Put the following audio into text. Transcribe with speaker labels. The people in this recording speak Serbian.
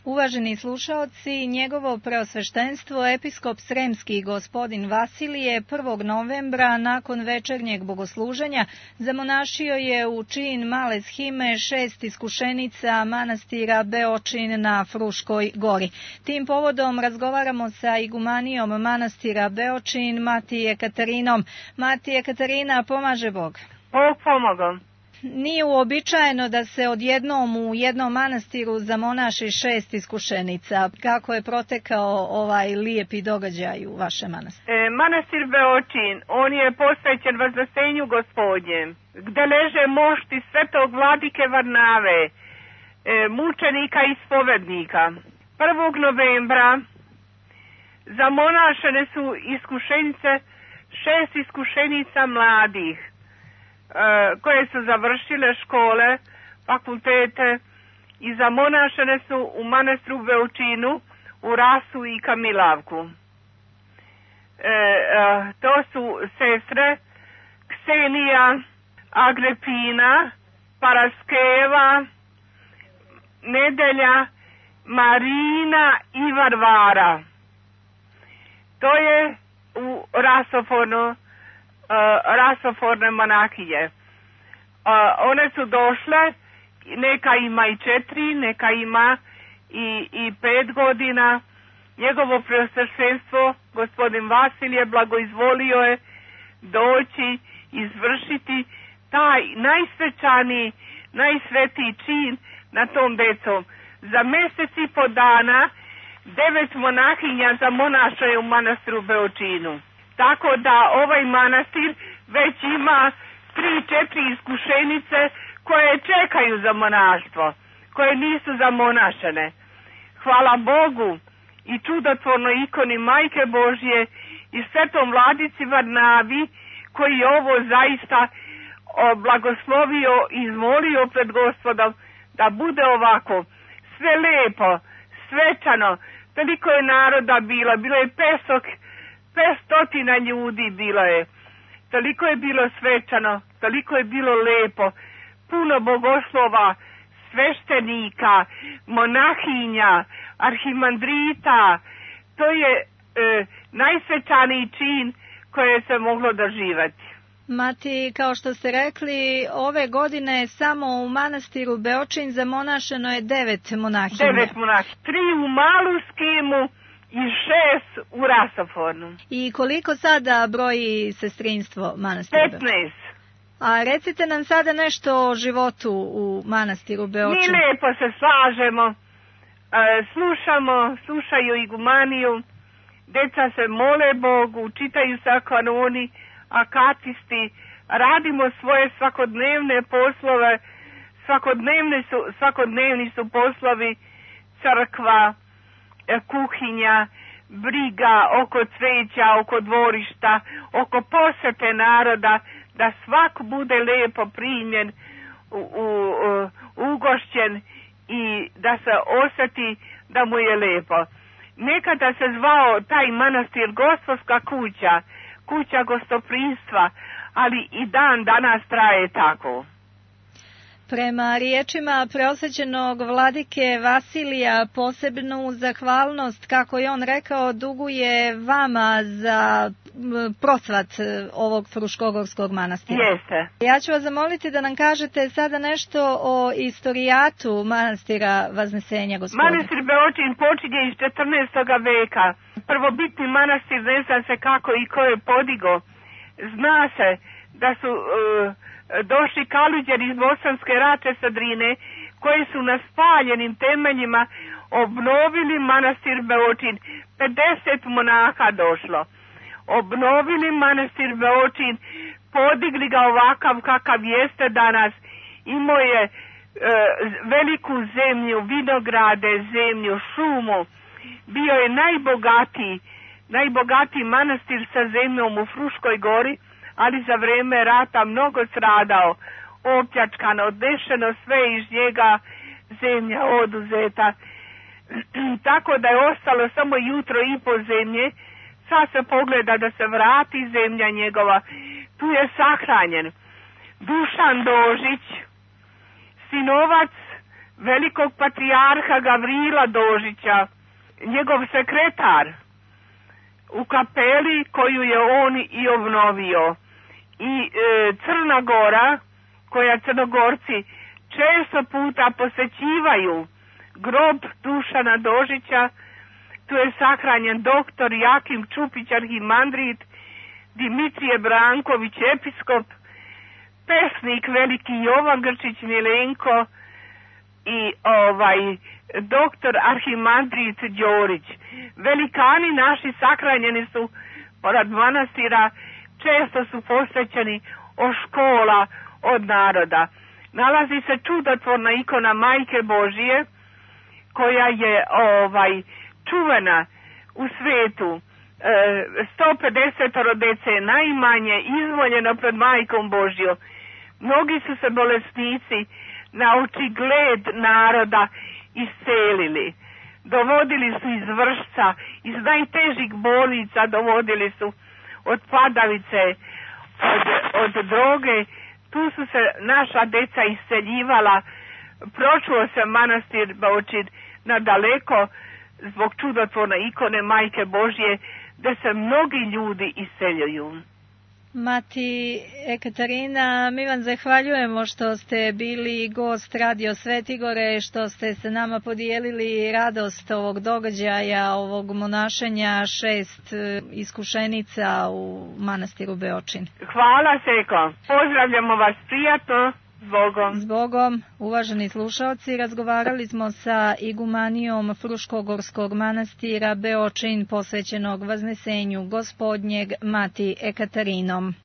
Speaker 1: Uvaženi slušaoci, njegovo preosveštenstvo episkop Sremski gospodin Vasilije 1. novembra nakon večernjeg bogosluženja zamonašio je u čin male shime 6 iskušenica manastira Beočin na Fruškoj gori. Tim povodom razgovaramo sa igumanijom manastira Beočin, Mati Ekatarinom. Mati Ekatarina, pomaže Bog.
Speaker 2: Bog pomogao.
Speaker 1: Nije uobičajeno da se odjednom u jednom manastiru zamonaši 6 iskušenica. Kako je protekao ovaj lijepi događaj u vašem manastiru?
Speaker 2: Manastir Beočin, on je posvećen Vaznesenju Gospodnjem, gde leže mošti svetog vladike Varnave, mučenika i spovednika. 1. novembra zamonašene su iskušenice, 6 iskušenica mladih, koje su završile škole, fakultete i zamonašene su u manastiru Beočinu, u Rasu i Kamilavku. To su sestre Ksenija, Agrepina, Paraskeva, Nedelja, Marina i Varvara. To je u rasoforne monahinje. One su došle, neka ima i 4, neka ima i 5 godina. Njegovo preosveštenstvo, gospodin Vasilije, blagoizvolio je doći, izvršiti taj najsvećaniji, najsvetiji čin na tom decom. Za mjesec i po dana 9 monahinja zamonašaju u manastiru Beočinu. Tako da ovaj manastir već ima 3-4 iskušenice koje čekaju za monaštvo, koje nisu zamonašene. Hvala Bogu i čudotvornoj ikoni Majke Božje i svetom vladici Varnavi, koji je ovo zaista blagoslovio i izmolio pred Gospodom da bude ovako sve lepo, svečano. Toliko je naroda bilo je 500 ljudi bilo je. Toliko je bilo svečano, toliko je bilo lepo, puno bogoslova, sveštenika, monahinja, arhimandrita. To je najsvečaniji čin koje se moglo doživjeti.
Speaker 1: Mati, kao što ste rekli, ove godine samo u manastiru Beočin zamonašeno je 9 monahinja.
Speaker 2: 9 monahinja, 3 u malu skimu i 6 u rasofornu.
Speaker 1: I koliko sada broji sestrinstvo manastira?
Speaker 2: 15.
Speaker 1: A recite nam sada nešto o životu u manastiru Beočin.
Speaker 2: Mi lijepo se slažemo, slušaju igumaniju, deca se mole Bogu, čitaju se kanoni, akatisti, radimo svoje svakodnevne poslove, svakodnevni su poslovi, crkva, kuhinja, briga oko cveća, oko dvorišta, oko posete naroda, da svak bude lijepo primljen, ugošćen i da se osjeti da mu je lijepo. Nekada se zvao taj manastir Gospodska kuća, kuća gostoprimstva, ali i dan danas traje tako.
Speaker 1: Prema riječima preosvećenog vladike Vasilija posebnu zahvalnost, kako je on rekao, duguje vama za procvat ovog Fruškogorskog manastira.
Speaker 2: Jeste.
Speaker 1: Ja ću vas zamoliti da nam kažete sada nešto o istorijatu manastira Vaznesenja Gospodnjeg.
Speaker 2: Manastir Beočin počinje iz 14. veka. Prvobitni manastir, ne zna se kako i ko je podigo. Zna se da su došli kaluđeri iz Bosanske Rače sa Drine, koji su na spaljenim temeljima obnovili manastir Beočin. 50 monaha došlo. Obnovili manastir Beočin, podigli ga ovakav kakav jeste danas. Imao je veliku zemlju, vinograde, zemlju, šumu. Bio je najbogatiji manastir sa zemljom u Fruškoj gori, ali za vreme rata mnogo stradao, opljačkano, odnešeno sve iz njega, zemlja oduzeta. Tako da je ostalo samo jutro i po zemlje. Sad se pogleda da se vrati zemlja njegova. Tu je sahranjen Dušan Dožić, sinovac velikog patrijarha Gavrila Dožića, njegov sekretar u kapeli koju je on i obnovio. I Crna Gora, koja Crnogorci često puta posećivaju grob Dušana Dožića, tu je sahranjen doktor Jakim Čupić, arhimandrit, Dimitrije Branković, episkop, pesnik veliki Jovan Grčić Milenko i doktor arhimandrit Đorić. Velikani naši sahranjeni su pored manastira, često su posvećeni od škola, od naroda. Nalazi se čudotvorna ikona Majke Božije, koja je čuvena u svetu. 150 dece najmanje izvoljeno pred Majkom Božjom. Mnogi su se bolesnici na očigled naroda iscelili. Dovodili su iz Vršca, iz najtežih bolnica, dovodili su od padavice, od droge. Tu su se naša deca isceljivala. Pročuo se manastir Bočid nadaleko zbog čudotvorne ikone Majke Božje, da se mnogi ljudi iseljuju.
Speaker 1: Mati Ekaterina, mi vam zahvaljujemo što ste bili gost Radio Svetigore, što ste se nama podijelili radost ovog događaja, ovog monašenja 6 iskušenica u manastiru Beočin.
Speaker 2: Hvala, Seko. Pozdravljamo vas prijatno. Zbogom.
Speaker 1: Zbogom, uvaženi slušalci, razgovarali smo sa igumanijom Fruškogorskog manastira Beočin posvećenog Vaznesenju Gospodnjeg Mati Ekatarinom.